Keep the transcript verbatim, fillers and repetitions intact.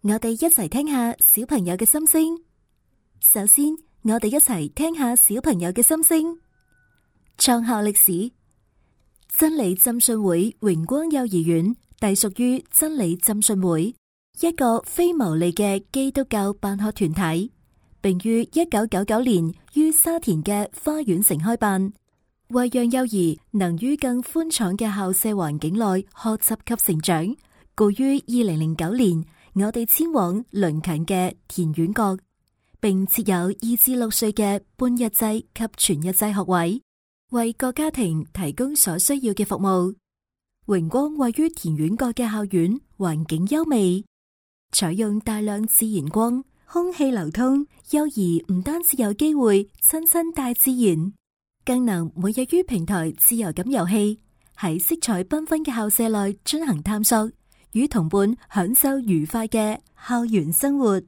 我哋一齊聽下小朋友嘅心聲。首先，我哋一齊聽下小朋友嘅心聲。創校歷史：真理浸信會榮光幼兒園隸屬於真理浸信會，一個非牟利嘅基督教辦學團體，並於一九九九年於沙田嘅花園城開辦，為讓幼兒能於更寬敞嘅校舍環境內學習及成長，故於二零零九年，我哋遷往鄰近嘅田園角，並設有二至六歲嘅半日制及全日制學位，為各家庭提供所需要嘅服務。榮光位於田園角嘅校園環境優美，採用大量自然光，空氣流通，幼兒唔單止有機會親親大自然，更能每日於平台自由咁遊戲，喺色彩繽紛嘅校舍內進行探索，與同伴享受愉快嘅校園生活。